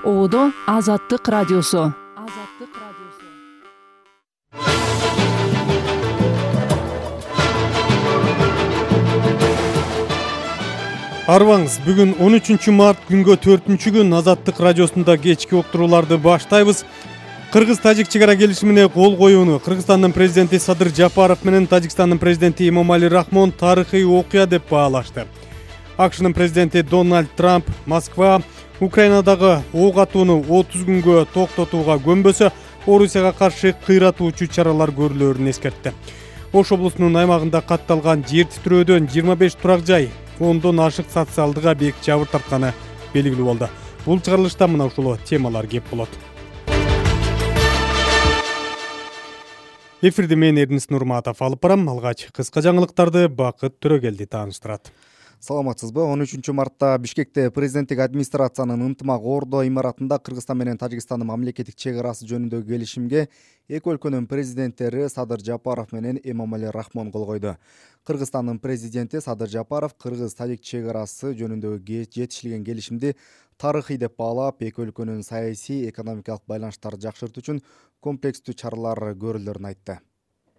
Оодо Азаттык радиосу. Арбаңыз, бүгүн 13 март күнгө 4-күн Азаттык радиосунда кечки уктурууларды баштайбыз. Кыргыз-Тажик чегара келишимине кол коюуну Кыргызстандын президенти Садыр Жапаров менен Тажикстандын президенти Эмомали Рахмон тарыхый окуя деп баалашты. АКШнын президенти Дональд Трамп Москва Украинадагы ок атууну 30 күнгө токтотууга көнбөсө, Орусияга каршы кыйратуучу чаралар көрүлөрүн эскертти. Ош облусунун аймагында катталган жер титирөөдөн 25 турак жай, 10дон ашык социалдык объект жабыр тартканы белгилүү болду. Бул чыгарылышта мына ушул темалар кеп болот. Эфирди мен Эрдинис Нурматов алып барам. Алгач кыска жаңылыктарды Бакыт Төрөгелди тааныштырат. Саламатсызбы? 13 мартта Бишкекте президенттик администрациянын ынтымак Ордо имаратында Кыргызстан менен Тажикстандын мамлекеттик чегарасы жөнүндөгү келишимге эки өлкөнүн президенттери Садыр Жапаров менен Эмомали Рахмон кол койду. Кыргызстандын президенти Садыр Жапаров Кыргыз-Тажик чегарасы жөнүндөгү жетишилген келишимди тарыхый деп баалап, эки өлкөнүн саясий, экономикалык байланыштарды жакшыртуу үчүн комплекстүү чаралар көрүлөрүн айтты.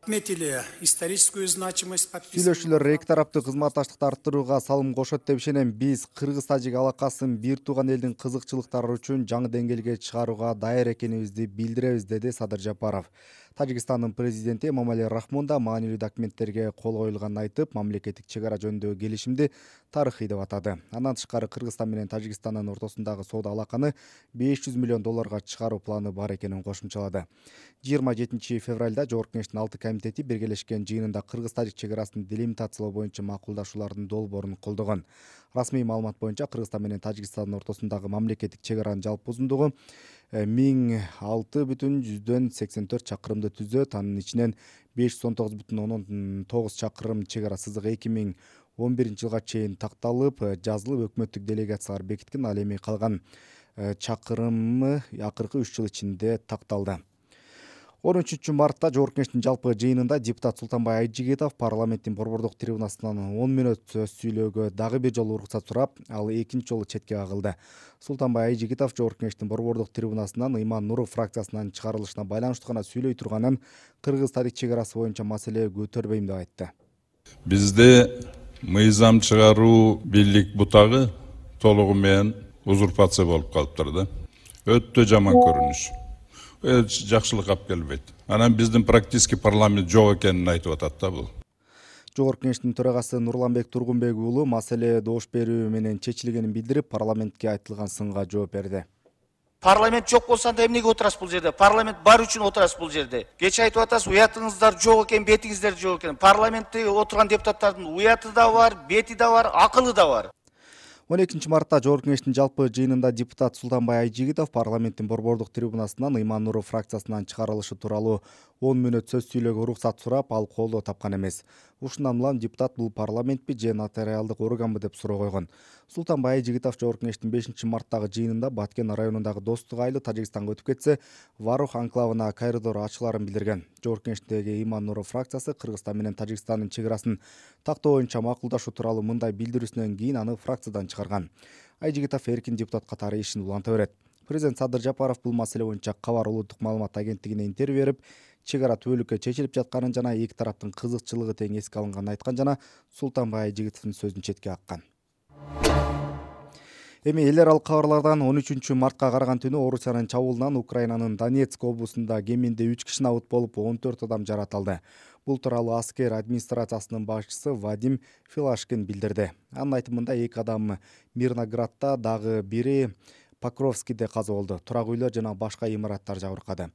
Сүйлөшүүлөр эки тараптуу кызматташтыкты арттырууга салым кошот деп ишенем. Биз Кыргыз-Тажик алакасын бир тууган элдин кызыкчылыктары үчүн жаңы деңгээлге чыгарууга даяр экенибизди билдиребиз, деди Садыр Жапаров. Тажикстандын президенти Эмомали Рахмон да маанилүү документтерге кол коюлганын айтып, мамлекеттик чегара жөнүндөгү келишимди тарыхый деп атады. Андан тышкары Кыргызстан менен Тажикстандын ортосундагы соода алаканы $500 миллион чыгаруу планы бар экенин кошумчалады. 27 февралда Жогорку Кеңештин 6 комитети биргелешкен жыйынында Кыргыз-Тажик чегарасын делимитациялоо боюнча макулдашуулардын долбоорун колдогон. Расмий маалымат боюнча Кыргызстан менен Тажикстандын ортосундагы мамлекеттик чегаранын жалпы узундугу 1006,84 чакырымды түзөт. Анын ичинен 519,9 чакырым чегара сызыгы 2011 жылга чейин такталып, жазылып, өкмөттүк делегациялар бекиткен. Ал эми калган чакырымы акыркы 3 жыл ичинде такталды. 13 мартта Жогорку Кеңештин жалпы жыйынында депутат Султанбай Айжигитов парламенттин борбордук трибунасынан 10 мүнөт сөз сүйлөөгө дагы бир жолу уруксат сурап, ал экинчи жолу четке кагылды. Султанбай Айжигитов Жогорку Кеңештин борбордук трибунасынан Иман Нуров фракциясынын чыгарылышына байланыштуу гана сүйлөй турганын, Кыргыз-Тажик чегарасы боюнча маселе көтөрбөйм деп айтты. Бизде мыйзам чыгаруу бийлик бутагы толугу менен узурпация болуп калыптыр да. Өтө жаман көрүнүш. Жакшылык алып келбейт. Анан биздин практически парламент жок экенин айтып атат да бул. Жогорку Кеңештин төрагасы Нурланбек Тургунбек уулу маселе добуш берүү менен чечилгенин билдирип, парламентке айтылган сынга жооп берди. Парламент жок болсо анда эмнеге отурасыз бул жерде? Парламент бар үчүн отурасыз бул жерде. Кече айтып атасыз, уятыңыздар жок экен, бетиңиздер жок экен. Парламентте отурган депутаттардын уяты да бар, бети да бар, акылы да бар. 12 мартта Жогорку Кеңештин жалпы жыйынында депутат Султанбай Айжигитов парламенттин борбордук трибунасынан Иман Нуров фракциясынын чыгарылышы тууралуу 10 мүнөт сөз сүйлөөгө уруксат сурап, ал колдоо тапкан эмес. Ушундан улам депутат бул парламентпи же нотариалдык органбы деп суроо койгон. Султанбай Айжигитов Жогорку Кеңештин 5 мартттагы жыйынында Баткен районундагы Достук айылы Тажикстанга өтүп кетсе, Варух анклавына коридор ачыларын билдирген. Жогорку Кеңештеги Иман Нуров фракциясы Кыргызстан менен Тажикстандын чегарасын тактоо боюнча макулдашуу тууралуу мындай билдирүүсүнөн кийин аны фракциядан чыгарган. Айжигитов эркин депутат катары ишин уланта берет. Президент Садыр Жапаров бул маселе боюнча Кабар улуттук маалымат агенттигине интервью берип, чегара түбөлүккө чечилип жатканын жана эки тараптын кызыкчылыгы тең эске алынганын айткан жана Султанбай Айжигитовдун сөзүн четке каккан. Эми эл аралык кабарлардан 13 мартка караган түнү Орусиянын чабуулунан Украинанын Донецк облусунда кеминде 3 киши абыт болуп, 14 адам жаратылды. Бул тууралуу аскер администрациясынын башчысы Вадим Филашкин билдирди. Анын айтымында 2 адам Мирноградда, дагы бири Покровскийде каза болду. Турак үйлөр жана башка имараттар жабыркады.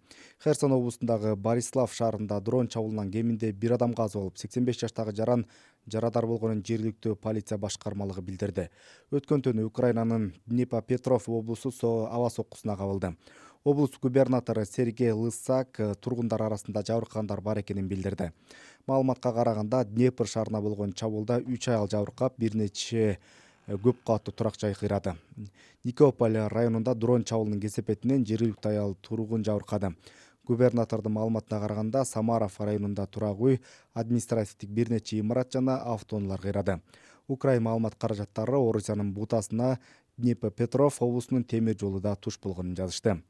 Херсон облусундагы Борислав шаарында дрон чабуулунан кеминде 1 адам каза болуп, 85 жаштагы жаран жарадар болгонун жергиликтүү полиция башкармалыгы билдирди. Өткөн түнү Украинанын Днепропетровск облусу аба соккусуна кабылды. Облус губернатору Сергей Лысак тургундар арасында жабыркагандар бар экенин билдирди. Маалыматка караганда Днепр шаарына болгон чабуулда 3 аял жабыркап, бир нече көп каттуу турак жай кыйрады. Никополь районунда дрон чабуулунун кесепетинен жергиликтүү аял тургун жабыркады. Губернатордун маалыматына караганда Самаров районунда турак үй, административдик бир нече имарат жана автоунаалар кыйрады. Украин маалымат каражаттары Орусиянын бутасына Днепропетровск облусунун темир жолу да туш болгонун жазышты.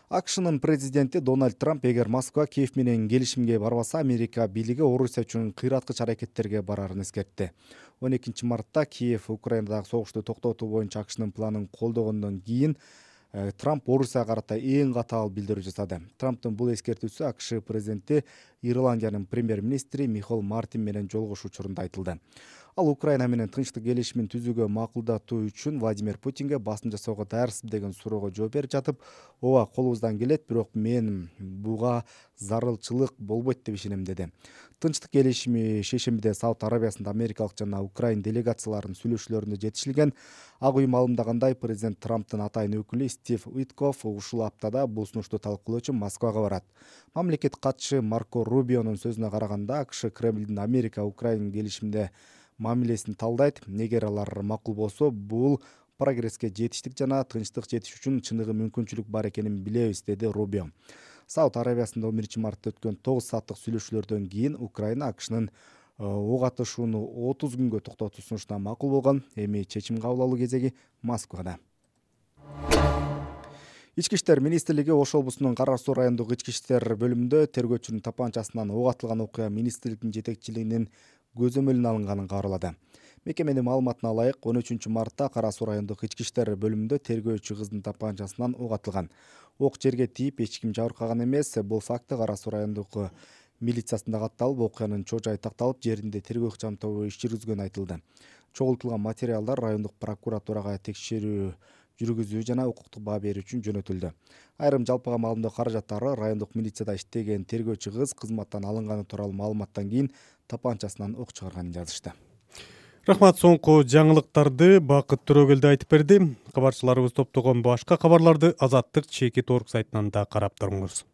АКШнын президенти Дональд Трамп эгер Москва Киев менен келишимге барбаса, Америка бийлиги Орусия үчүн кыйраткыч аракеттерге барарын эскертти. 12 мартта Киев Украинадагы согушту токтотуу боюнча АКШнын планын колдогондон кийин Трамп Орусияга карата эң катаал билдирүү жасады. Трамптын бул эскертүүсү АКШ президенти Ирландиянын премьер-министри Михаил Мартин менен жолугушуу учурунда айтылды. Ал Украина менен тынчтык келишимин түзүүгө макулдатуу үчүн Владимир Путинге басым жасоого даярсызбы деген суроого жооп берип жатып, ооба, колубуздан келет, бирок мен буга зарылчылык болбойт деп ишенем деди. Тынчтык келишими шейшембиде Сауд Арабиясында америкалык жана украин делегацияларынын сүйлөшүүлөрүндө жетишилген. Ак үй маалымдагандай, президент Трамптын атайын өкүлү Стив Уиткоф ушул аптада бул сунушту талкуулоо үчүн Москвага барат. Мамлекет катчысы Марко Рубионун сөзүнө караганда, АКШ Кремлдин Америка-Украин келишимде мамилесин талдайт. Эгер алар макул болсо, бул прогресске жетиштик жана тынчтык жетиш үчүн чыныгы мүмкүнчүлүк бар экенин билебиз, деди Рубио. Сауд Арабиясында 11 мартта өткөн 9 сааттык сүйлөшүүлөрдөн кийин Украина АКШнын ок атышууну 30 күнгө токтотуу сунушуна макул болгон. Эми чечим кабыл алуу кезеги Москвада. Ички иштер министрлиги Ош облусунун Кара Суу райондук ички иштер бөлүмүндө тергөөчүнүн тапанчасынан ок атылган окуя министрликтин жетекчилигинин көзөмөлүнө алынганын кабарлады. Мекеменин маалыматына ылайык, 13 мартта Кара Суу райондук ички иштер бөлүмүндө тергөөчү кыздын тапанчасынан ок атылган. Ок жерге тийип, эч ким жабыркаган эмес. Бул факты Кара Суу райондук милициясында катталып, окуянын чоо жайы такталып, жеринде тергөө ыкчам тобу иш жүргүзгөнү айтылды. Чогултулган материалдар райондук прокуратурага текшерүү жүргүзүү жана укуктук баа берүү үчүн жөнөтүлдү. Айрым жалпыга маалымдоо каражаттары райондук милицияда иштеген тергөөчү кыз кызматтан алынганы тууралуу маалыматтан кийин тапанчасынан ок чыгарганын жазышты. Рахмат, соңку жаңылыктарды Бакыт Төрөгелди айтып берди. Кабарчыларыбыз топтогон башка кабарларды Азаттык Чекит орг сайтынан да карап туруңуз.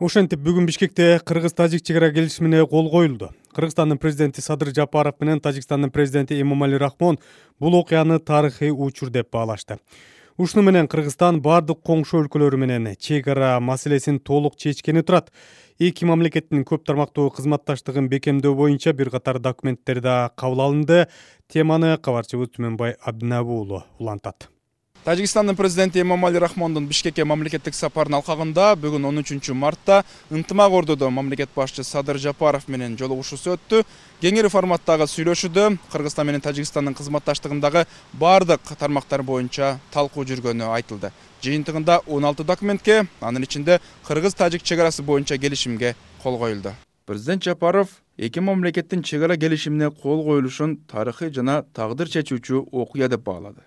Ошентип бүгүн Бишкекте Кыргыз-Тажик чегара келишимине кол коюлду. Кыргызстандын президенти Садыр Жапаров менен Тажикстандын президенти Эмомали Рахмон бул окуяны тарыхый учур деп баалашты. Ушуну менен Кыргызстан бардык коңшу өлкөлөрү менен чегара маселесин толук чечкени турат. Эки мамлекеттин көп тармактуу кызматташтыгын бекемдөө боюнча бир катар документтер да кабыл алынды. Теманы кабарчыбыз Түмөнбай Абдинабы уулу улантат. Тажикстандын президенти Эмомали Рахмондун Бишкекке мамлекеттик сапарынын алкагында бүгүн 13 мартта ынтымак ордодо мамлекет башчысы Садыр Жапаров менен жолугушуусу өттү. Кеңири форматтагы сүйлөшүүдө Кыргызстан менен Тажикстандын кызматташтыгындагы бардык тармактар боюнча талкуу жүргөнү айтылды. Жыйынтыгында 16 документке, анын ичинде Кыргыз-Тажик чегарасы боюнча келишимге кол коюлду. Президент Жапаров эки мамлекеттин чегара келишимине кол коюлушун тарыхый жана тагдыр чечүүчү окуя деп баалады.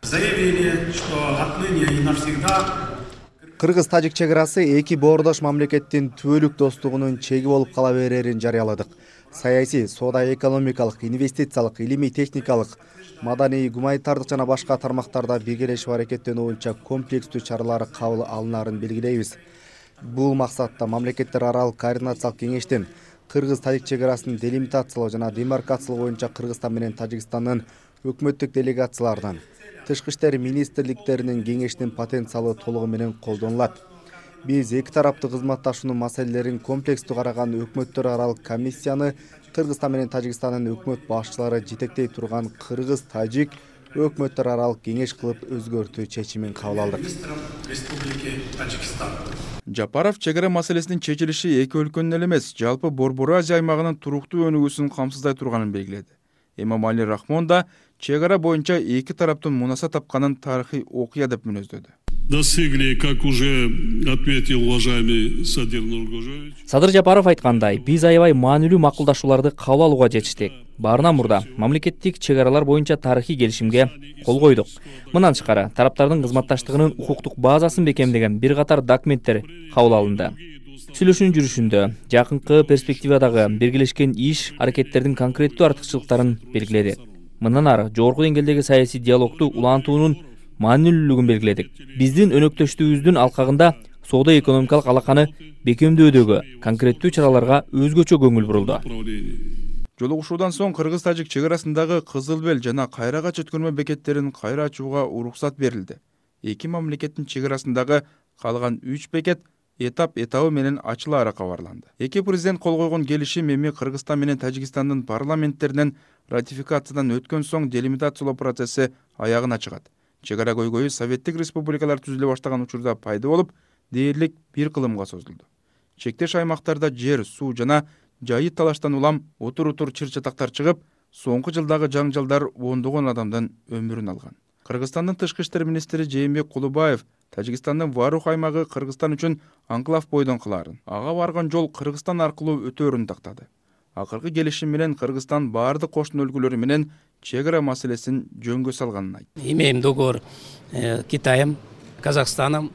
Кыргыз-Тажик чегарасы эки боордош мамлекеттин түбөлүк достугунун чеги болуп кала берерин жарыяладык. Саясий, соода-экономикалык, инвестициялык, илимий-техникалык, маданий, гуманитардык жана башка тармактарда биргелешип аракеттенүү боюнча комплекстүү чаралар кабыл алынарын белгилейбиз. Бул максатта мамлекеттер аралык координациялык кеңештин Кыргыз-Тажик чегарасын делимитациялоо жана демаркациялоо боюнча Кыргызстан менен Тажикстандын өкмөттүк делегацияларынан, тышкы иштер министрликтеринин кеңешинин потенциалы толугу менен колдонулат. Биз эки тараптуу кызматташуунун маселелерин комплекстүү караган өкмөттөр аралык комиссияны Кыргызстан менен Тажикстандын өкмөт башчылары жетектей турган Кыргыз-Тажик өкмөттөр аралык кеңеш кылып өзгөртүү чечимин кабыл алдык. Жапаров чегара маселесинин чечилиши эки өлкөнүн эле эмес, жалпы Борбор Азия аймагынын туруктуу өнүгүүсүн камсыздай турганын белгиледи. Эмомали Рахмон да чегара боюнча эки тараптын мунаса тапканын тарыхый окуя деп мүнөздөдү. Достигли, как уже отметил уважаемый Садыр Нургожевич. Садыр Жапаров айткандай, биз аябай маанилүү макулдашууларды кабыл алууга жетиштик. Баарынан мурда мамлекеттик чегаралар боюнча тарыхый келишимге кол койдук. Мындан тышкары тараптардын кызматташтыгынын укуктук базасын бекемдеген бир катар документтер кабыл алынды. Сүйлөшүүнүн жүрүшүндө жакынкы перспективадагы биргелешкен иш аракеттердин конкреттүү артыкчылыктарын белгиледик. Мындан ары жогорку деңгээлдеги саясий диалогду улантуунун маанилүүлүгүн белгиледик. Биздин өнөктөштүгүбүздүн алкагында соода-экономикалык алаканы бекемдөөдөгү конкреттүү чараларга өзгөчө көңүл бурулду. Жолугушуудан соң Кыргыз-Тажик чегарасындагы Кызыл Бел жана Кайрагач өткөрмө бекеттерин кайра ачууга уруксат берилди. Эки мамлекеттин чегарасындагы калган 3 бекет этабы менен ачылаары кабарланды. Эки президент кол койгон келишим эми Кыргызстан менен Тажикстандын парламенттеринен ратификациядан өткөн соң делимитациялоо процесси аягына чыгат. Чегара көйгөйү советтик республикалар түзүлө баштаган учурда пайда болуп, дээрлик бир кылымга созулду. Чектеш аймактарда жер, суу жана жайы талаштан улам утур чыр-чатактар чыгып, соңку жылдагы жаңжалдар ондогон адамдын өмүрүн алган. Кыргызстандын тышкы иштер министри Жээнбек Кулубаев Тажикстандын Варух аймагы Кыргызстан үчүн анклав бойдон кылаарын, ага барган жол Кыргызстан аркылуу өтөөрүн тактады. Акыркы келишим менен Кыргызстан баардык кошуна өлкөлөр менен чегара маселесин жөнгө салганын айтты. Имеем договор Китаем, Казахстаном.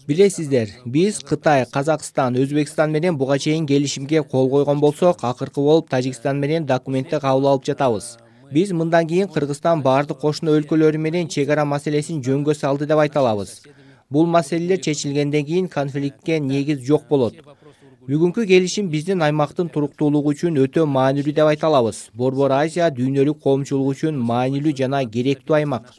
Билесиздер, биз Кытай, Казакстан, Өзбекстан менен буга чейин келишимге кол койгон болсок, акыркы болуп Тажикстан менен документти кабыл алып жатабыз. Биз мындан кийин Кыргызстан баардык кошуна өлкөлөрү менен чегара маселесин жөнгө салды деп айта алабыз. Бул маселелер чечилгенден кийин конфликтке негиз жок болот. Бүгүнкү келишим биздин аймактын туруктуулугу үчүн өтө маанилүү деп айта алабыз. Борбор Азия дүйнөлүк коомчулук үчүн маанилүү жана керектүү аймак.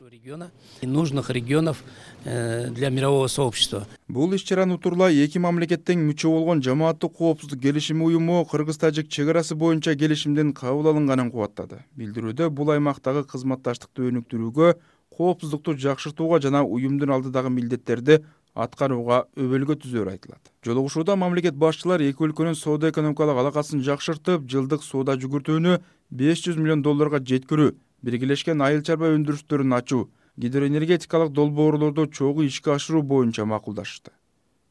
Нужных регионов для мирового сообщества. Бул иш-чараны утурлай эки мамлекеттин мүчө болгон Жамааттык коопсуздук келишими уюму Кыргыз-Тажик чегарасы боюнча келишимдин кабыл алынганын кубаттады. Билдирүүдө бул аймактагы кызматташтыкты өнүктүрүүгө, коопсуздукту жакшыртууга жана уюмдун алдыдагы милдеттерди аткарууга өбөлгө түзөөрү айтылат. Жолугушууда мамлекет башчылар эки өлкөнүн соода-экономикалык алакасын жакшыртып, жылдык соода жүгүртүүнү $500 миллион жеткирүү, биргелешкен айыл чарба өндүрүштөрүн ачуу, гидроэнергетикалык долбоорлорду чогуу ишке ашыруу боюнча макулдашты.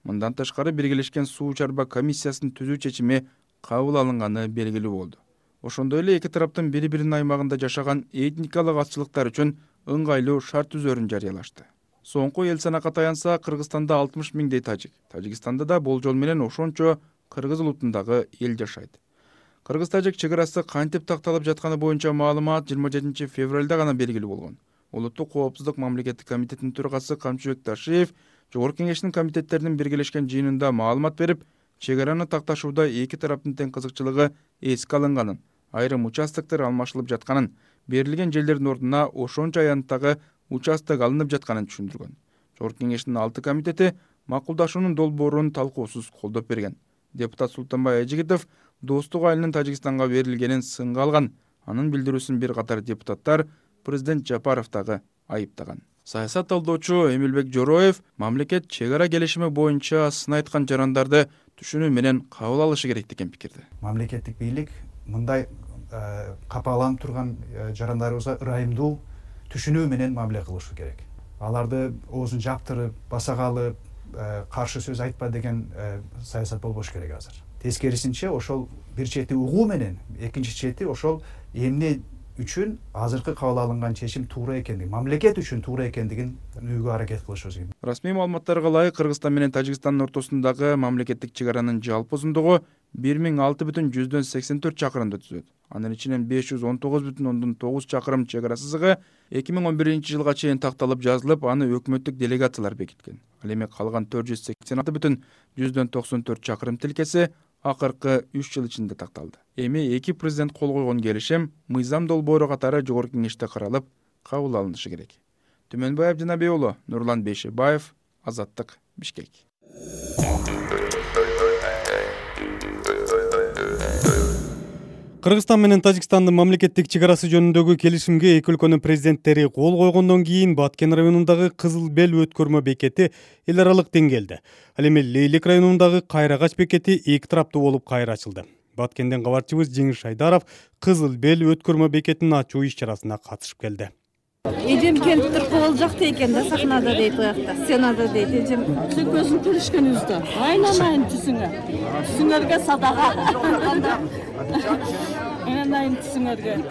Мындан тышкары биргелешкен суу чарба комиссиясын түзүү чечими кабыл алынганы белгилүү болду. Ошондой эле эки тараптын бири-биринин аймагында жашаган этникалык азчылыктар үчүн ыңгайлуу шарт түзөөрүн жарыялашты. Соңку эл санакка таянса, Кыргызстанда 60 миңдей тажик, Тажикстанда да болжол менен ошончо кыргыз улутундагы эл жашайт. Кыргыз-тажик чегарасы кантип такталып жатканы боюнча маалымат 27 февралда гана белгилүү болгон. Улуттук коопсуздук мамлекеттик комитетинин төрагасы Камчыбек Ташиев Жогорку Кеңештин комитеттеринин биргелешкен жыйынында маалымат берип, чегараны такташууда эки тараптын тең кызыкчылыгы эске алынганын, айрым участоктор алмашылып жатканын, берилген жерлердин ордуна ошончо аянттагы участок алынып жатканын түшүндүргөн. Жогорку Кеңештин 6 комитети макулдашуунун долбоорун талкуусуз колдоп берген. Депутат Султанбай Айжигитов Достук айылынын Тажикстанга берилгенин сынга алган. Анын билдирүүсүн бир катар депутаттар президент Жапаров дагы айыптаган. Саясат талдоочу Эмилбек Жороев мамлекет чегара келишими боюнча сын айткан жарандарды түшүнүү менен кабыл алышы керек деген пикирде. Мамлекеттик бийлик мындай капаланып турган жарандарыбызга ырайымдуу түшүнүү менен мамиле кылышы керек. Аларды оозун жаптырып, басагалы, каршы сөз айтпа деген саясат болбош керек азыр. Тескерисинче ошол бир чети угуу менен, экинчи чети ошол эмне үчүн азыркы кабыл алынган чечим туура экендигин, мамлекет үчүн туура экендигин түшүнүүгө аракет кылышыбыз керек. Расмий маалыматтарга ылайык Кыргызстан менен Тажикстандын ортосундагы мамлекеттик чегаранын жалпы узундугу 1006,84 чакырымды түзөт. Анын ичинен 519,9 чакырым чегара сызыгы 2011-жылга чейин такталып жазылып, аны өкмөттүк делегациялар бекиткен. Ал эми калган 486,94 чакырым тилкеси акыркы 3 жыл ичинде такталды. Эми эки президент кол койгон келишим мыйзам долбоору катары Жогорку Кеңеште каралып, кабыл алынышы керек. Түмөнбаев Жанабек уулу, Нурлан Бейшебаев, Азаттык, Бишкек. Кыргызстан менен Тажикстандын мамлекеттик чегарасы жөнүндөгү келишимге эки өлкөнүн президенттери кол койгондон кийин Баткен районундагы Кызыл Бел өткөрмө бекети эл аралык деңгээлде. Ал эми Лейлек районундагы Кайрагач бекети эки тараптуу болуп кайра ачылды. Баткенден кабарчыбыз Жеңиш Шайдаров Кызыл Бел өткөрмө бекетин ачуу иш-чарасына катышып келди. Эжем келип туруп кол жакта экен да, сахнада дейт, уякта, сценада дейт. Эжем көзүн көрүшкөнүбүздө. Айнанайын түсүңөргө садага. Айнанайын түсүңөргө.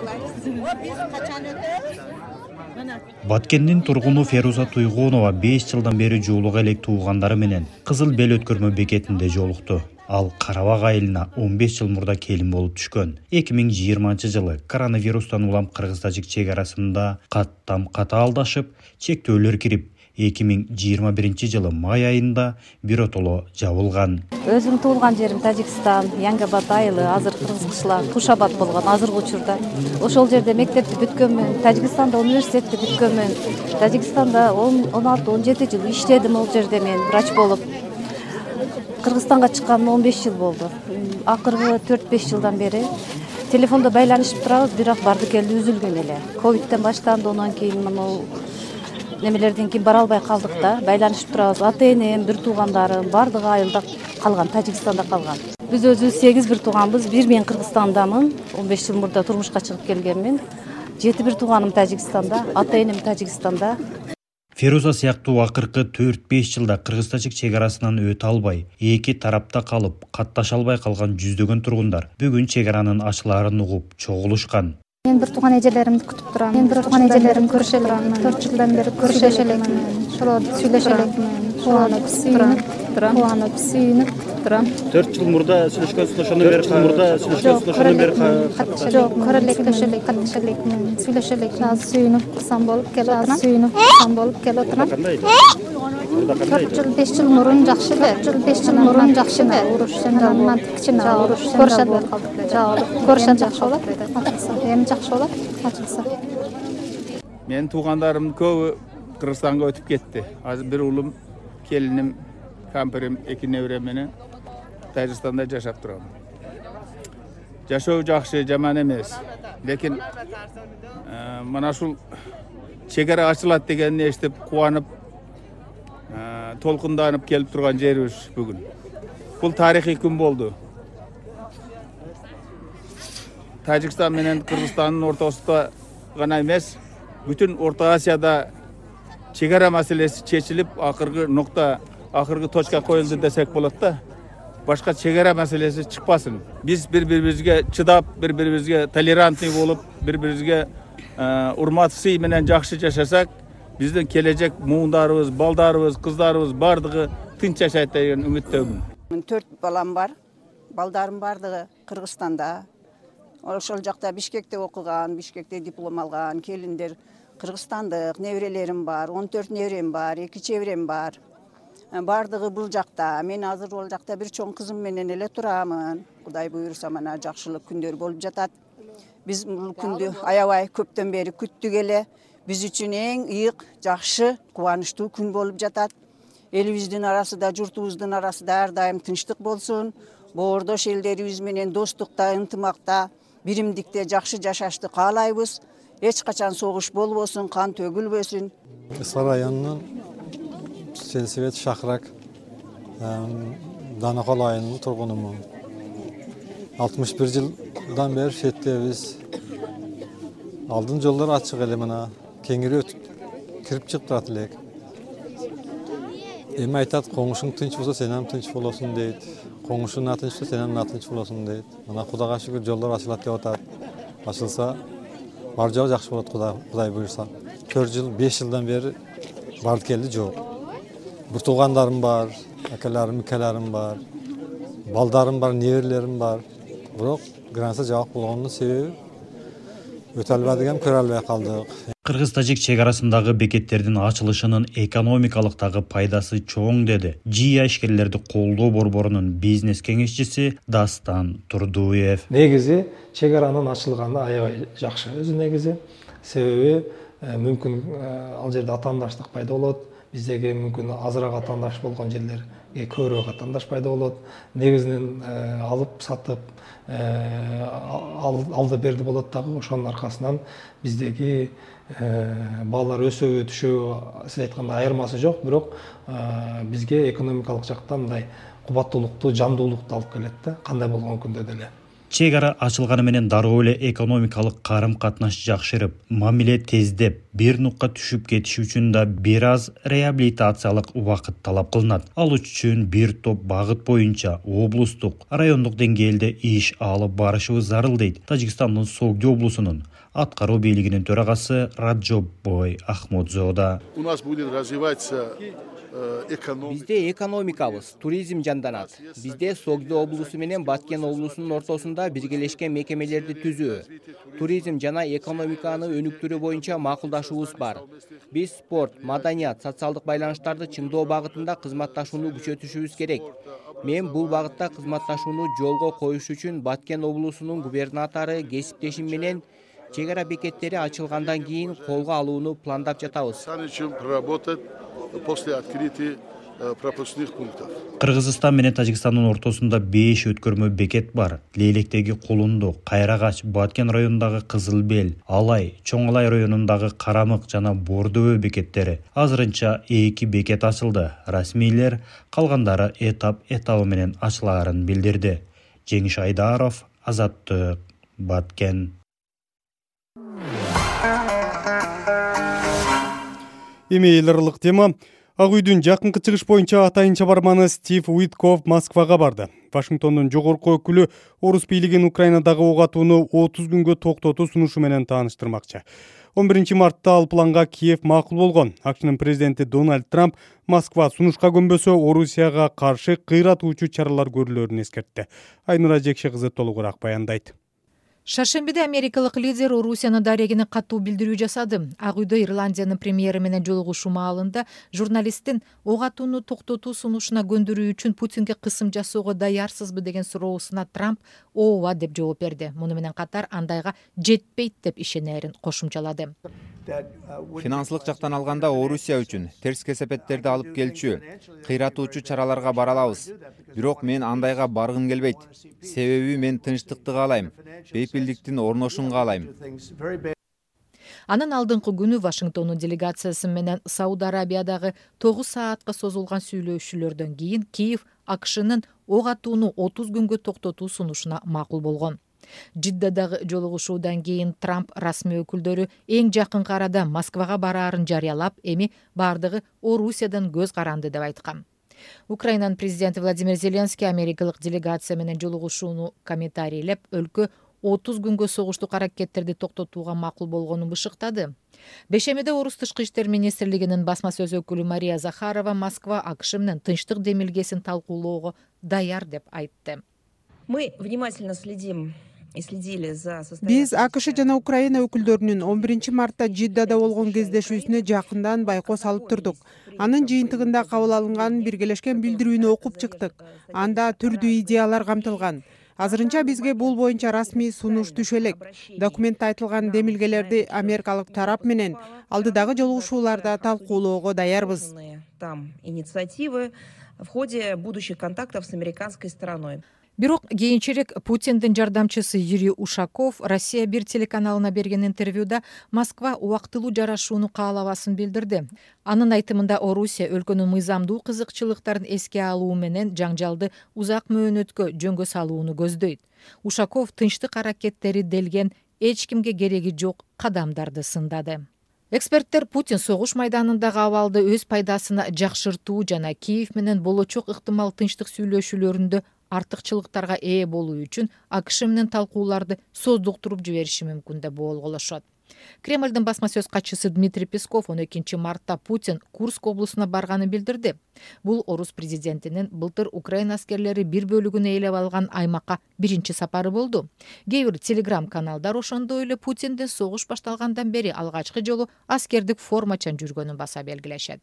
Баткендин тургуну Феруза Туйгунова 5 жылдан бери жуулук элек туугандары менен Кызыл Бел өткөрмө бекетинде жолукту. Ал Карабак айылына 15 жыл мурда келин болуп түшкөн. 2020-жылы коронавирустан улам Кыргыз-Тажик чегарасында каттам-ката алдашып, чектөөлөр кирип, 2021-жылы май айында биротоло жабылган. Өзүм туулган жерим Тажикстан, Янгабад айылы, азыр кыргыз кышлар Тушабад болгон азыркы учурда. Ошол жерде мектепти бүткөнмүн, Тажикстанда университетти бүткөнмүн. Тажикстанда 16-17 жыл иштедим ол жерде мен врач болуп. Кыргызстанга чыкканыма 15 жыл болду. Акыркы 4-5 жылдан бери телефондо байланышып турабыз, бирок барды келди үзүлгөн эле. Ковидтен башталды, онан кийин мына немелерден кийин бара албай калдык да. Байланышып турабыз. Ата-энем, бир туугандарым бардыгы айылда калган, Тажикстанда калган. Биз өзүбүз 8 бир тууганбыз. Бир мен Кыргызстандамын. 15 жыл мурда турмушка чыгып келгенмин. 7 бир тууганым Тажикстанда, ата-энем Тажикстанда. Феруза сыяктуу акыркы 4-5 жылда кыргыз-тажик чек арасынан өтө албай, эки тарапта калып, катташа албай калган жүздөгөн тургундар бүгүн чек аранын ачылаарын угуп чогулушкан. Мен бир тууган эжелеримди күтүп турам. Мен бир тууган эжелеримди көрүшө элекмин. 4 жылдан бери көрүшө элекмин. Ошолорду сүйлөшө элекмин. Кубанып, сүйүнүп күтүп турам. 4 жыл мурда сүйлөшкөнсүз, ошондон бери Жок, көрө элек, катташа элекмин. Сүйлөшө элекмин. Азыр сүйүнүп курсам болуп келип отурам. 4 жыл 5 жыл мурун жакшы эле. 5 жыл мурун жакшы эле. Уруш жанынан кичине уруш көрүшөт болуп калдык. Көрүшөт жакшы болот. Эми жакшы болот, ачылса. Мен туугандарымдын көбү Кыргызстанга өтүп кетти. Азыр бир уулум, келиним, камперим, 2 неберем менен Тажикстанда жашап турам. Жашоо жакшы, жаман эмес. Лекин мына ушул чек ара ачылат дегенди эстеп кубанып, толкунданып келип турган жерибиз бүгүн. Бул тарыхый күн болду. Тажикстан менен Кыргызстандын ортосунда гана эмес, бүтүн Орто Азияда чек ара маселеси чечилип, акыркы нукта, акыркы точка коюлду десек болот да. Башка чек ара маселеси чыкпасын. Биз бири-бирибизге чыдап, бири-бирибизге толерантный болуп, бири-бирибизге урмат сый менен жакшы жашасак, биздин келечек муундарыбыз, балдарыбыз, кыздарыбыз бардыгы тынч жашайт деген үмүттөмүн. 4 балам бар. Балдарым бардыгы Кыргызстанда. Ошол жакта Бишкекте окуган, Бишкекте диплом алган, келиндер кыргызстандык, неберелерим бар, 14 неберем бар, 2 чеберем бар. Бардыгы бул жакта. Мен азыр ол жакта бир чоң кызым менен эле турамын. Кудай буйруса мана жакшылык күндөр болуп жатат. Биз бул күндү аябай көптөн бери күттүк эле. Биз үчүн эң ыйык, жакшы, кубанычтуу күн болуп жатат. Элибиздин арасында, журтубуздун арасында ар дайым тынчтык болсун. Боордош элдерибиз менен достукта, ынтымакта, биримдикте жакшы жашашты каалайбыз. Эч качан согуш болбосун, кан төгүлбөсүн. Ысла районунун Сенсибет Шахрак Данакол айылынын тургунумун. 61 жылдан бери шеттебиз. Алдын жолдор ачык эле, мына кеңири өтүп кирип чыгып турат элек. Эми айтат, коңушуң тынч болсо сен ham тынч болосуң дейт. Коңушуң тынч болсо сен ham тынч болосуң дейт. Мына Кудайга шүгүр жолдор ачылат деп атат. Ачылса бар жагы жакшы болот, Кудай буйруса. 4 жыл, 5 жылдан бери барды келди жок. Бир туугандарым бар, акаларым, икаларым бар, балдарым бар, неберелерим бар. Бирок граница жабык болгондун себеби өтө албадыгам, көрө албай калдык. Кыргыз-тажик чек арасындагы бекеттердин ачылышынын экономикалык дагы пайдасы чоң деди ЖИА ишкерлерди колдоо борборунун бизнес кеңешчиси Дастан Турдуев. Негизи чек аранын ачылганы аябай жакшы өзү негизи. Себеби мүмкүн ал жерде атаандаштык пайда болот. Биздеги мүмкүн азыраак атаандаш болгон жерлерге көбүрөөк атаандаш пайда болот. Негизинен алып сатып алды берди болот дагы. Ошонун аркасынан биздеги балдар өсөбү түшөбү сиз айткандай айырмасы жок, бирок бизге экономикалык жактан мындай кубаттуулукту, жандуулукту алып келет да, кандай болгон күндө деле. Чек ара ачылганы менен дароо эле экономикалык карым-катнаш жакшырып, мамиле тездеп, бир нукка түшүп кетиши үчүн да бир аз реабилитациялык убакыт талап кылынат. Ал үчүн бир топ багыт боюнча облустук, райондук деңгээлде иш алып барышыбыз зарыл дейт Тажикстандын Согди облусунун аткаруу бийлигинин төрагасы Раджоббой Ахмодзода. У нас будет развиваться Бизде экономикабыз, туризм жанданат. Бизде Согди облусу менен Баткен облусунун ортосунда биргелешкен мекемелерди түзүү, туризм жана экономиканы өнүктүрүү боюнча макулдашуубуз бар. Биз спорт, маданият, социалдык байланыштарды чыңдоо багытында кызматташууну күчөтүшүбүз керек. Мен бул багытта кызматташууну жолго коюш үчүн Баткен облусунун губернатору кесиптешим менен чек ара бекеттери ачылгандан кийин колго алууну пландап жатабыз. После открытия пропускных пунктов. Кыргызстан менен Тажикстандын ортосунда 5 өткөрмө бекет бар. Лейлектеги Кулунду, Кайрагач, Баткен районундагы Кызыл Бел, Алай, Чоң Алай районундагы Карамык жана Бордобө бекеттери. Азырынча 2 бекет ачылды. Расмийлер калгандары этабы менен ачылаарын билдирди. Жеңиш Айдаров, Азаттык, Баткен. Эми эл аралык тема. Ак үйдүн жакынкы чыгыш боюнча атайынча барманы Стив Уитков Москвага барды. Вашингтондун жогорку өкүлү орус бийлигин Украинадагы ок атууну 30 күнгө токтотуу сунушу менен тааныштырмакчы. 11 мартта ал планга Киев макул болгон. АКШнын президенти Дональд Трамп Москва сунушка көнбөсө Орусияга каршы кыйратуучу чаралар көрүлөрүн эскертти. Айнура Жекше кызы толугураак баяндайт. Шаршембиде америкалык лидер Орусияны дарегине катуу билдирүү жасады. Ак үйдө Ирландиянын премьери менен жолугушуу маалында журналисттин ок атууну токтотуу сунушуна көндүрүү үчүн Путинге кысым жасоого даярсызбы деген суроосуна Трамп ооба деп жооп берди. Муну менен катар андайга жетпейт деп ишенерин кошумчалады. Финансылык жактан алганда Орусия үчүн терс кесепеттерди алып келчү, кыйратуучу чараларга бара алабыз. Бирок мен андайга баргым келбейт. Себеби мен тынчтыкты каалайм, бейпилдиктин орношун каалайм. Анын алдыңкы күнү Вашингтондун делегациясы менен Сауд Арабиядагы 9 саатка созулган сүйлөшүүлөрдөн кийин Киев АКШнын ок атууну 30 күнгө токтотуу сунушуна макул болгон. Жиддадагы жолугушуудан кийин Трамп расмий өкүлдөрү эң жакынкы арада Москвага бараарын жарыялап, эми бардыгы Орусиядан көз каранды деп айткан. Украинанын президенти Владимир Зеленский америкалык делегация менен жолугушууну комментарийлеп, өлкө 30 күнгө согуштук аракеттерди токтотууга макул болгонун бышыктады. Бешемиде Орус тышкы иштер министрлигинин басма сөз өкүлү Мария Захарова Москва АКШ менен тынчтык демилгесин талкуулоого даяр деп айтты. Мы внимательно следим. Биз АКШ жана Украина өкүлдөрүнүн 11 мартта Жиддада болгон кездешүүсүнө жакындан байкоо салып турдук. Анын жыйынтыгында кабыл алынган биргелешкен билдирүүнү окуп чыктык. Анда түрдүү идеялар камтылган. Азырынча бизге бул боюнча расмий сунуш түшө элек. Документте айтылган демилгелерди америкалык тарап менен алдыдагы жолугушууларда талкуулоого даярбыз. Там инициативы в ходе будущих контактов с американской стороной. Бирок кийинчерээк Путиндин жардамчысы Юрий Ушаков Россия 1 телеканалына берген интервьюда Москва убактылуу жарашууну каалабасын билдирди. Анын айтымында Орусия өлкөнүн мыйзамдуу кызыкчылыктарын эске алуу менен жаңжалды узак мөөнөткө жөнгө салууну көздөйт. Ушаков тынчтык аракеттери делген эч кимге кереги жок кадамдарды сындады. Эксперттер Путин согуш майданындагы абалды өз пайдасына жакшыртуу жана Киев менен болочок ыктымал тынчтык сүйлөшүүлөрүндө артыкчылыктарга ээ болуу үчүн АКШ менен талкууларды создуктуруп жибериши мүмкүн деп болголошот. Кремлдин басма сөз катчысы Дмитрий Песков 12 мартта Путин Курск облусуна барганын билдирди. Бул орус президентинин былтыр Украина аскерлери бир бөлүгүн ээлеп алган аймакка биринчи сапары болду. Кээ бир телеграм-каналдар ошондой эле Путиндин согуш башталгандан бери алгачкы жолу аскердик формачан жүргөнүн баса белгилешет.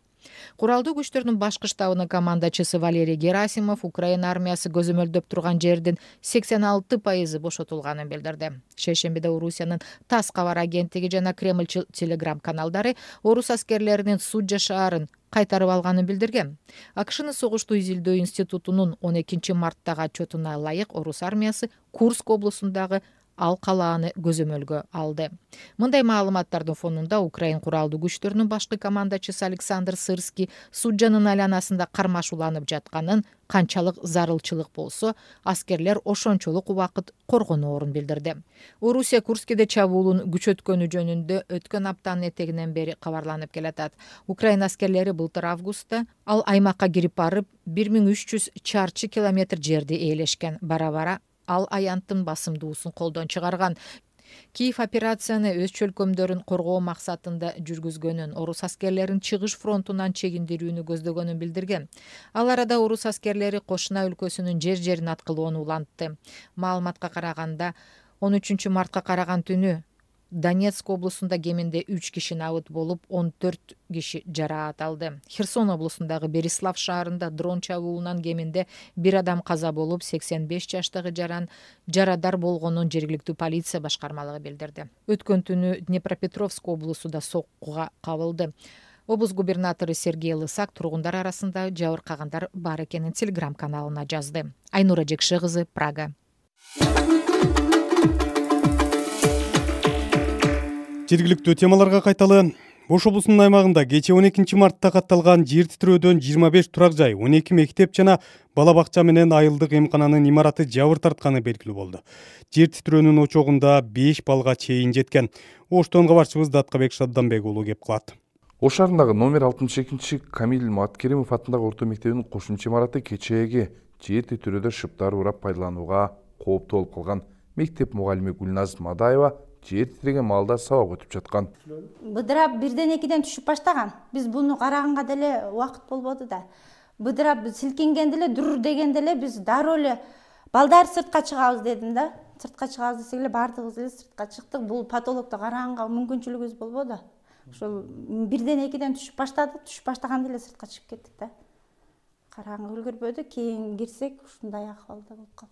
Куралдуу күчтөрдүн башкы штабынын командачысы Валерий Герасимов Украина армиясы көзөмөлдөп турган жердин 86% бошотулганын билдирди. Шейшембиде Орусиянын ТАСС кабар агенттиги жана Кремль телеграм-каналдары орус аскерлеринин Суджа шаарын кайтарып алганын билдирген. АКШнын согуштуу изилдөө институтунун 12 марттагы отчетуна ылайык орус армиясы Курск облусундагы ал калааны көзөмөлгө алды. Мындай маалыматтардын фонунда Украин куралдуу күчтөрүнүн башкы командачысы Александр Сырский Суджанын айланасында кармашууланып жатканын, канчалык зарылчылык болсо, аскерлер ошончолук убакыт коргоноорун билдирди. Орусия Курскиде чабуулун күчөткөнү жөнүндө өткөн аптанын этегинен бери кабарланып келатат. Украина аскерлери былтыр августта ал аймакка кирип барып 1300 чарчы километр жерди ээлешкен. Бара-бара ал аянттын басымдуусун колдон чыгарган. Киев операцияны өз чөлкөмдөрүн коргоо максатында жүргүзгөнүн, орус аскерлерин чыгыш фронтунан чегиндирүүнү көздөгөнүн билдирген. Ал арада орус аскерлери Кошуна өлкөсүнүн жер-жерин аткылоону улантты. Маалыматка караганда 13 мартка караган түнү Донецк облусунда кеминде 3 киши набыт болуп, 14 киши жараат алды. Херсон облусундагы Берислав шаарында дрон чабуулунан кеминде 1 адам каза болуп, 85 жаштагы жарадар болгонун жергиликтүү полиция башкармалыгы билдирди. Өткөн түнү Днепропетровск облусу да соккуга кабылды. Облус губернатору Сергей Лысак тургундар арасында жабыркагандар бар экенин Телеграм каналына жазды. Айнура Жекше кызы, Прага. Жергиликтүү темаларга кайталы. Ош облусунун аймагында кечээ 12 мартта катталган жер титирөөдөн 25 турак жай, 12 мектеп жана бала бакча менен айылдык эмкананын имараты жабыр тартканы белгилүү болду. Жер титирөөнүн очогунда 5 балга чейин жеткен. Оштон кабарчыбыз Даткабек Шадданбек уулу кеп кылат. Ош шаарындагы номер 62 Камил Маткеримов атындагы орто мектебинин кошумча имараты кечээги жер титирөөдө шыптар урап пайдаланууга кооптуу болуп калган. Мектеп мугалими Гүлназ Мадаева жер титиреген маалда сабак өтүп жаткан. Быдырап 1-2 түшүп баштаган. Биз буну караганга деле убакыт болбоду да. Быдырап силкинген деле, дүр деген деле биз дароо эле балдар сыртка чыгабыз дедим да. Сыртка чыгабыз десек эле бардыгыбыз эле сыртка чыктык. Бул патологду караганга мүмкүнчүлүгүбүз болбоду. Ошол 1-2 түшүп баштады, түшүп баштаганда эле сыртка чыгып кеттик да. Караганга үлгүрбөдү, кийин кирсек ушундай акыбалда болуп калды.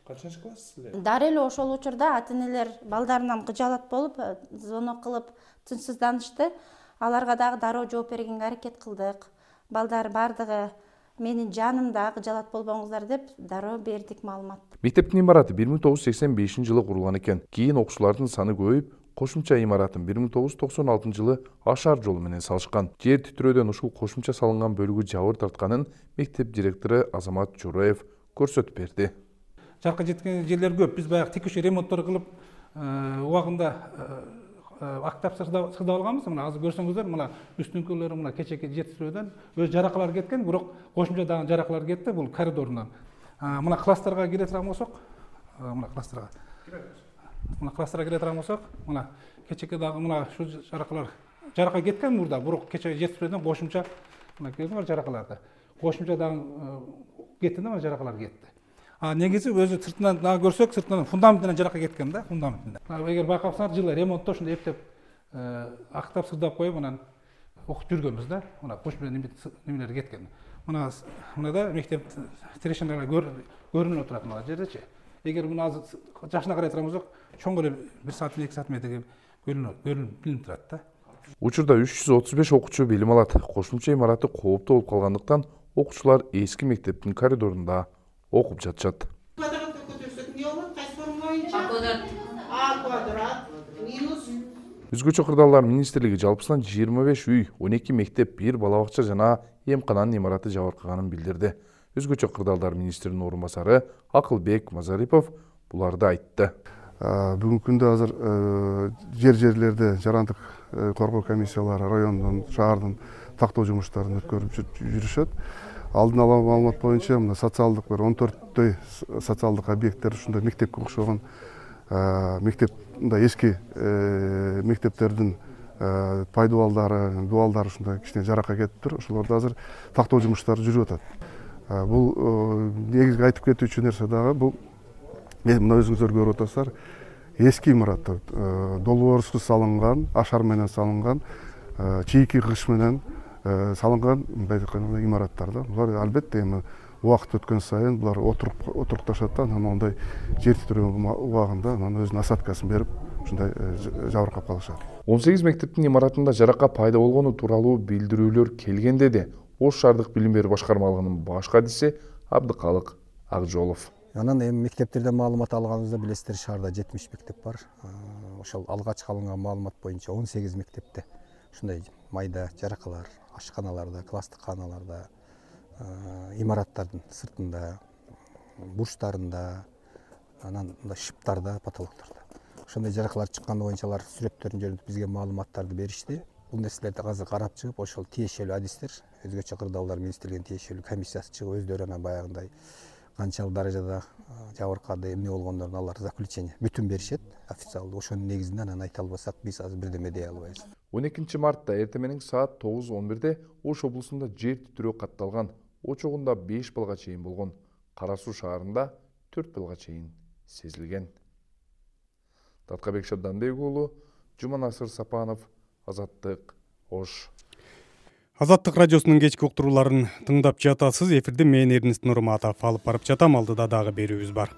Качанчы класссыздар? Дары эле ошол учурда ата-энелер балдарынан кыжалат болуп, звонок кылып тынчсызданышты. Аларга дагы дароо жооп бергенге аракет кылдык. Балдар бардыгы менин жанымда, кыжалат болбоңуздар деп дароо бердик маалымат. Мектептин имараты 1985 курулган экен. Кийин окуучулардын саны көбөйүп, кошумча имаратын 1996 ашар жолу менен салышкан. Жер титирөөдөн ушул кошумча салынган бөлүгү жабыр тартканын мектеп директору Азамат Жураев көрсөтүп берди. Жарка жеткен жерлер көп. Биз баягы текущий ремонттор кылып, убагында актап сырдап алганбыз. Мына азыр көрсөңүздөр, мына үстүнкүлөрү мына кечеки жер титирөөдөн өз жаракалар кеткен, бирок кошумча дагы жаракалар кетти бул коридорунан. Мына класстарга кире турган болсок, мына класстарга кире турган болсок, мына кечеки дагы мына шу жарака кеткен мурда, бирок кечеки жер титирөөдөн кошумча мына көрдүңөр жаракаларды. Кошумча дагы кетти да, жаракалар кетти. Негизи өзү сыртынан дагы көрсөк, сыртынан фундаментинен жарака кеткен да, фундаментинен. Эгер байкасаңар, жылы ремонтто ушундай эптеп актап сырдап коюп, анан окуп жүргөнбүз да. Мына кошумча немелер кеткен. Мына да мектеп тирешиналар көрүнүп турат мына жердечи. Эгер муну азыр жашына карай турган болсок, чоң эле 1 саат 2 саат метрге көрүнүп турат да. Учурда 335 окуучу билим алат. Кошумча имараты кооптуу болуп калгандыктан окуучулар эски мектептин коридорунда окуп жатышат. Өзгөчө кырдаалдар министрлиги жалпысынан 25 үй, 12 мектеп, 1 бала бакча жана эмкананын имараты жабыркаганын билдирди. Өзгөчө кырдаалдар министринин орун басары Акылбек Мазарипов буларды айтты. Бүгүнкү күндө азыр жерлерде жарандык коргоо комиссиялары райондун, шаардын тактоо жумуштарын өткөрүп жүрүшөт. Алдын ала маалымат боюнча мына социалдык 14 социалдык объекттер ушундай мектепке окшогон мектеп мындай эски мектептердин пайдубалдары, дуалдары ушундай кичине жарака кетиптир. Ошолорду азыр тактоо жумуштары жүрүп атат. Бул негизги айтып кетүүчү нерсе дагы бул мына өзүңүздөр көрүп атасыздар, эски имараттар долбоорсуз салынган, ашар менен салынган, чийки кыш менен салынган имараттар да. Булар албетте эми убакыт өткөн сайын булар отурукташат да, анан ондай жер титирөө убагында анан өзүнүн осадкасын берип, ушундай жабыркап калышат. 18 мектептин имаратында жарака пайда болгону тууралуу билдирүүлөр келген деди Ош шаардык билим берүү башкармалыгынын баш кадиси Абдыкалык Акжолов. Анан эми мектептерден маалымат алганыбызда билесиздер, шаарда 70 мектеп бар. Ошол алгач алынган маалымат боюнча 18 мектепте ушундай майда жаракалар, ашканаларда, класстык кааналарда, имараттардын сыртында, бурчтарында, анан шыптарда, потолоктордо. Ошондой жаракалар чыкканы боюнча алар сүрөттөрүн жөнүндө бизге маалыматтарды беришти. Бул нерселерди азыр карап чыгып, ошол тиешелүү адистер, өзгөчө кырдаалдар министрлигинин тиешелүү комиссиясы чыгып, өздөрү анан баягындай канчалык даражада жабыркады, эмне болгондорун алар заключение бүтүн беришет официалдуу. Ошонун негизинде анан айта албасак, биз азыр бирдеме дей албайбыз. 12 мартта эртең саат 9:11 Ош облусунда жер титирөө катталган. Очогунда 5 балга чейин болгон. Кара Суу шаарында 4 балга чейин сезилген. Даткабек Шадданбек уулу, Жуманасыр Сапанов, Азаттык, Ош. Азаттык радиосунун кечки уктурууларын тыңдап жатасыз. Эфирде мен Эрнест Нурматов алып барып жатам. Алдыда дагы берүүбүз бар.